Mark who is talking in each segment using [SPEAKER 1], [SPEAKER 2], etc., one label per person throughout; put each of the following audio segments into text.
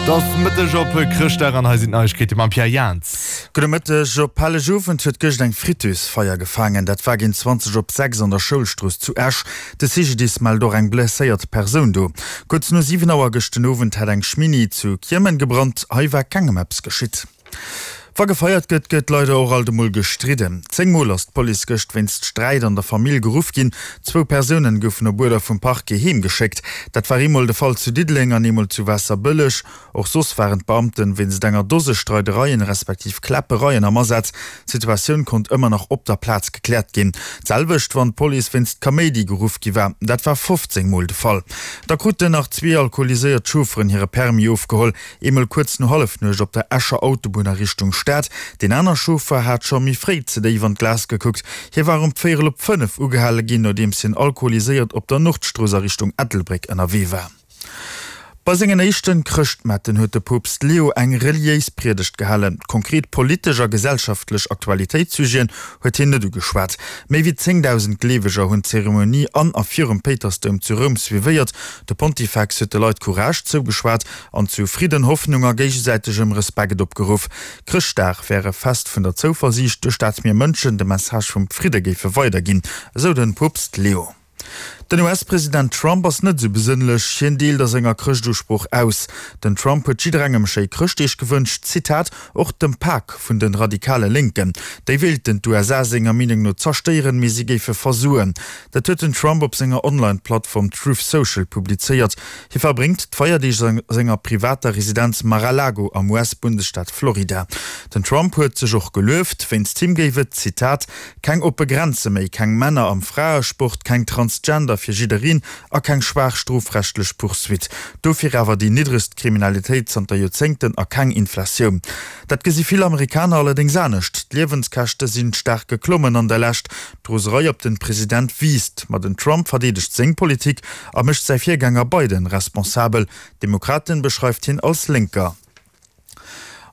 [SPEAKER 1] Et ass Mëtteg op Chrëschtdag an hei sinn d'Neiegkeete mam Pierre Jans.
[SPEAKER 2] Gudde Mëtteg. Op Hellegowend huet gëscht eng Fritteuse-Feier gefaangen. Dat war géint 20 op 6 an der Schoulstrooss zu Esch. De CGDIS mellt och eng blesséiert Persoun do. Kuerz no 7 Auer gëscht den Owend hat eng Schminni zu Kiemen gebrannt. Hei war kengem eppes geschitt. Wa gefeiert gëtt, gëtt leider och alt emol gestridden. 10 Mol ass d'Police gëscht wéinst Sträit an der Famill geruff ginn. Zwou Persounen goufen op Uerder vum Parquet heem geschéckt. Dat war eemol de Fall zu Diddeleng an eemol zu Waasserbëlleg. Och soss waren d'Beamten wéinst enger Dose Streidereien respektiv Kläppereien am Asaz. D'Situatioun konnt ëmmer nach op der Plaz gekläert ginn. D'selwecht wann d'Police wéinst Kaméidi geruff gi war. Dat war 15 Mol de Fall. Da kruten nach zwee alkoholiséiert Chaufferen hire Permis ofgeholl. Eemol kuerz no Hallefnuecht op der Escher Autobunn a Richtung Stad. Deen aner Chauffer hat scho méi fréi ze déif an d'Glas gekuckt. Hie war um véierel op 5 ugehale ginn, nodeems hien alkoholiséiert op der Nordstrooss a Richtung Ettelbréck ënnerwee war. Bei sengen éischten Chrëschtmetten huet de Poopst Leo eng reliéis Priedegt gehalen. Konkret politesch a gesellschaftlech Aktualitéitssujeten huet hien net ugeschwat. Méi wéi 10.000 Gleeweger hunn d'Zeremonie an a virum Péitersdoum zu Roum suivéiert. De Pontifex huet de Leit Courage zougeschwat an zu Fridden, Hoffnung a géigesäitegem Respekt opgeruff. Chrëschtdag wär e Fest vun der Zouversiicht, duerch dat mir Mënschen de Message vum Fridde géife weiderginn, esou de Poopst Leo. Den US-President Trump ass net esou besënnlech, hien deelt a senger Chrëschtusprooch aus. Den Trump huet jidderengem schéi Chrëschtdeeg gewënscht, Zitat, och dem Pak vun de radikale Lénken. Déi wéilten d'USA senger Meenung no zerstéieren, mee si géife versoen. Dat huet den Trump op senger Online-Plattform Truth Social publizéiert. Hie verbréngt d'Feierdeeg a senger privater Residenz Mar-a-Lago am US-Bundesstaat Florida. Den Trump huet sech och gelueft, wéinst him géif et, Zitat, keng oppe Grenze méi, keng Männer am Fraesport, keng Transgender fir jiddereen a keng schwaach strofrechtlech Poursuite. Dofir awer déi niddregst Kriminalitéit zanter Joerzéngten a keng Inflatioun. Dat gesi vill Amerikaner allerdéngs anescht. D'Liewenskäschte sinn staark geklommen an der Lescht. D'Roserei op den President wiisst, ma den Trump verdeedegt seng Politik a mécht säi Virgänger Biden responsabel. D'Demokraten beschreift hien als Lénker.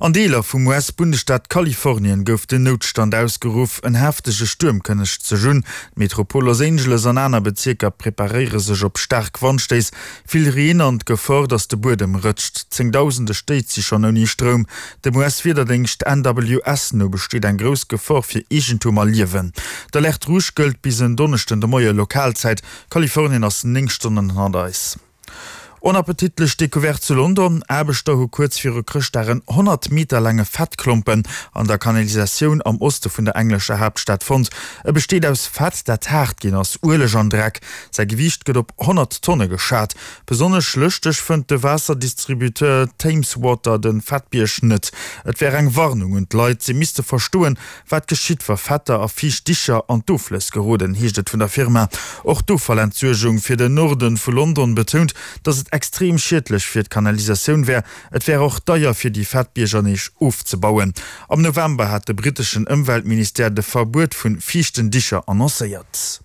[SPEAKER 2] An Deeler vum US-Bundesstaat Kalifornien gouf den Noutstand ausgeruff. En heftege Stuerm kënnegt sech un. D'Metropol Los Angeles an aner Bezierker preparéiere sech op staark Wandstéiss, vill Reen an d'Gefor, datt de Buedem rëtscht. Zéngdausende Stéit si schonn ouni Stroum. Dem US-Wiederdéngscht NWS no besteet eng grouss Gefor fir Eegentum a Liewen. D'Alerte rouge gëllt bis en Donneschden de Moie Lokalzäit. Kalifornien ass 9 Stonnen hannert eis. Onappetitlech Decouverte zu London, Aarbechter hu kuerz viru Chrëschtdag en 100 Meter laange Fettklompen an der Kanalisatioun am Oste vun der englescher Haaptstad fonnt. E besteet aus Fett, dat haart ginn ass, Ueleg an Dreck. Säi Gewiicht gëtt op 100 Tonne geschat. Besonnesch lëschteg fënnt de Waasserdistributeur Thames Water de Fettbierg net. Et wär eng Warnung un d'Leit, se misste verstoen, wat geschitt, wa Fetter a fiicht Dicher an d'Offlëss geroden, heescht et vun der Firma. Och d'Offallentsuergung fir den Norde vu London betount, datt et extrem schiedlech fir d'Kanalisatioun wär. Et wär och deier fir déi Fettbierger nees ofzebauen. Am November hat de britteschen Ëmweltministère de Verbuet vu fiichten Dicher annoncéiert.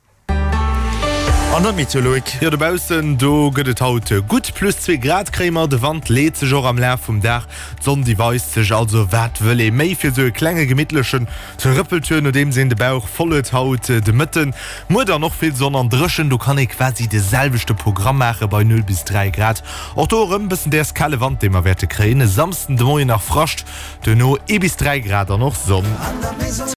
[SPEAKER 2] An der Meteo, Loïc.
[SPEAKER 1] Jo, dobaussen do gëtt et haut gutt plus zwee Grad kréie mer. De Wand leet sech och am Laf vum Dag, d'Sonn déi weist sech. Also wat wëll ee méi fir esou e klenge gemittlechen Trëppeltour nodeems een de Bauch voll huet haut de Mëtten. Muer dann och vill Sonn an dréchen, do kann ee quasi de selwechte Programm maache bei 0 bis 3 Grad. Och do erëm bëssen däers kale Wand dee mer wäerte kréien. E Samsden de Moien nach Frascht, duerno ee bis 3 Grad an och Sonn.